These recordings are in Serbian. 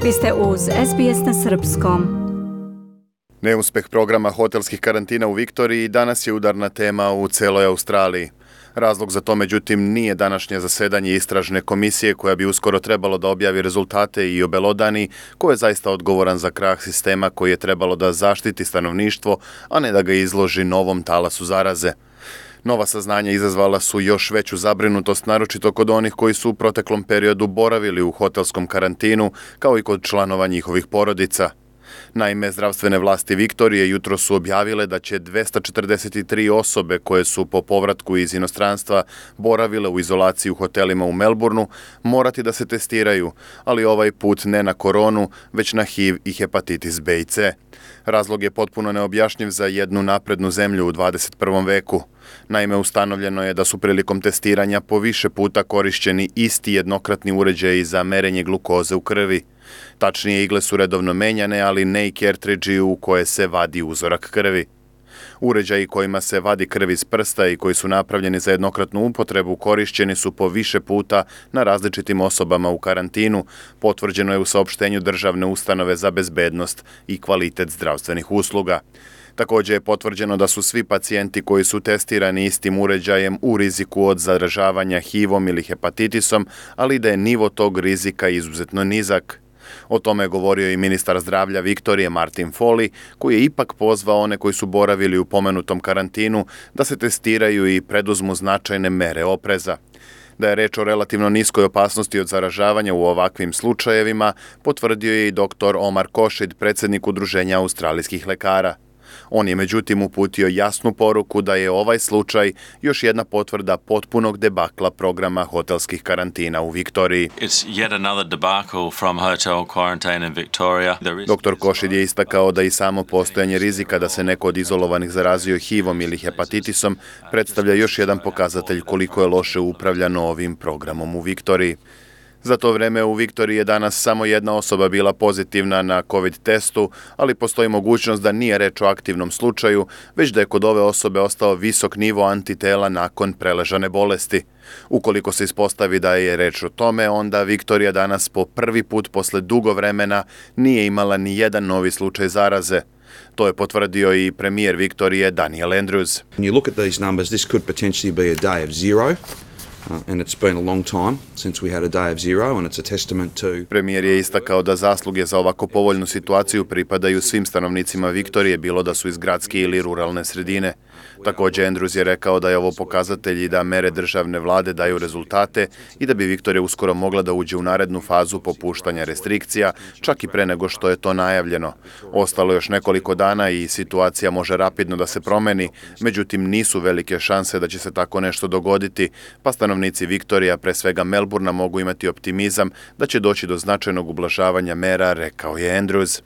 Vi ste uz SBS na srpskom. Neuspeh programa hotelskih karantina u Viktoriji danas je udarna tema u celoj Australiji. Razlog za to, međutim, nije današnje zasedanje istražne komisije koja bi uskoro trebalo da objavi rezultate i obelodani ko je zaista odgovoran za krah sistema koji je trebalo da zaštiti stanovništvo, a ne da ga izloži novom talasu zaraze. Nova saznanja izazvala su još veću zabrinutost, naročito kod onih koji su u proteklom periodu boravili u hotelskom karantinu, kao i kod članova njihovih porodica. Naime, zdravstvene vlasti Viktorije jutro su objavile da će 243 osobe koje su po povratku iz inostranstva boravile u izolaciji u hotelima u Melbourneu morati da se testiraju, ali ovaj put ne na koronu, već na HIV i hepatitis B i C. Razlog je potpuno neobjašnjiv za jednu naprednu zemlju u 21. veku. Naime, ustanovljeno je da su prilikom testiranja po više puta korišćeni isti jednokratni uređaji za merenje glukoze u krvi. Tačnije, igle su redovno menjane, ali ne i kertridži u koje se vadi uzorak krvi. Uređaji kojima se vadi krv iz prsta i koji su napravljeni za jednokratnu upotrebu korišćeni su po više puta na različitim osobama u karantinu, potvrđeno je u saopštenju Državne ustanove za bezbednost i kvalitet zdravstvenih usluga. Također je potvrđeno da su svi pacijenti koji su testirani istim uređajem u riziku od zaražavanja HIV-om ili hepatitisom, ali da je nivo tog rizika izuzetno nizak. O tome je govorio i ministar zdravlja Viktorije Martin Foley, koji je ipak pozvao one koji su boravili u pomenutom karantinu da se testiraju i preduzmu značajne mere opreza. Da je reč o relativno niskoj opasnosti od zaražavanja u ovakvim slučajevima, potvrdio je i dr. Omar Košid, predsjednik Udruženja australijskih lekara. On je međutim uputio jasnu poruku da je ovaj slučaj još jedna potvrda potpunog debakla programa hotelskih karantina u Viktoriji. Dr. Košid je istakao da i samo postojanje rizika da se neko od izolovanih zarazio HIV-om ili hepatitisom predstavlja još jedan pokazatelj koliko je loše upravljano ovim programom u Viktoriji. Za to vreme u Viktoriji je danas samo jedna osoba bila pozitivna na COVID testu, ali postoji mogućnost da nije reč o aktivnom slučaju, već da je kod ove osobe ostao visok nivo antitela nakon preležane bolesti. Ukoliko se ispostavi da je reč o tome, onda Viktorija danas po prvi put posle dugo vremena nije imala ni jedan novi slučaj zaraze. To je potvrdio i premijer Viktorije Daniel Andrews. When you look at these numbers, this could potentially be a day of zero. And it's been a long time since we had a day of zero, and it's a testament to... Premijer je istakao da zasluge za ovako povoljnu situaciju pripadaju svim stanovnicima Viktorije, bilo da su iz gradske ili ruralne sredine. Također, Andrews je rekao da je ovo pokazatelj i da mere državne vlade daju rezultate i da bi Viktorija uskoro mogla da uđe u narednu fazu popuštanja restrikcija, čak i pre nego što je to najavljeno. Ostalo još nekoliko dana i situacija može rapidno da se promeni, međutim nisu velike šanse da će se tako nešto dogoditi, pa stanovnici Viktorija, pre svega Melbournea, mogu imati optimizam da će doći do značajnog ublažavanja mera, rekao je Andrews.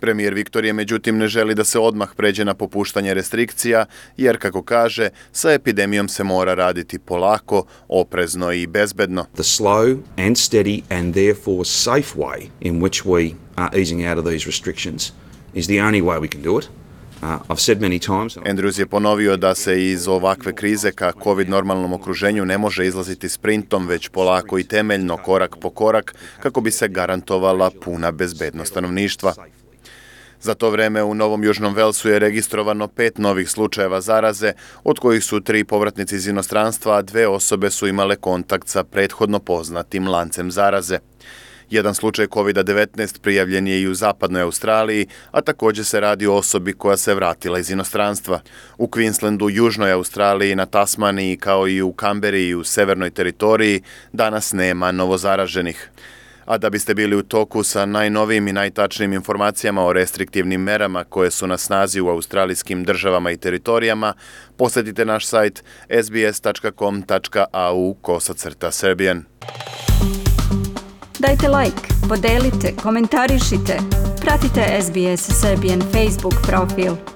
Premijer Viktorije, međutim, ne želi da se odmah pređe na popuštanje restrikcija, jer, kako kaže, sa epidemijom se mora raditi polako, oprezno i bezbedno. The slow and steady and therefore safe way in which we are easing out of these restrictions is the only way we can do it. I've said many times. Andrews je ponovio da se iz ovakve krize ka COVID normalnom okruženju ne može izlaziti sprintom, već polako i temeljno, korak po korak, kako bi se garantovala puna bezbednost stanovništva. Za to vreme u Novom Južnom Velsu je registrovano 5 novih slučajeva zaraze, od kojih su 3 povratnici iz inostranstva, a 2 osobe su imale kontakt sa prethodno poznatim lancem zaraze. Jedan slučaj COVID-19 prijavljen je i u zapadnoj Australiji, a također se radi o osobi koja se vratila iz inostranstva. U Queenslandu, južnoj Australiji, na Tasmaniji, kao i u Kamberi i u severnoj teritoriji, danas nema novozaraženih. A da biste bili u toku sa najnovijim i najtačnijim informacijama o restriktivnim merama koje su na snazi u australijskim državama i teritorijama, posjetite naš sajt sbs.com.au/Serbian. Dajte like, podelite, komentarišite, pratite SBS Serbian Facebook profil.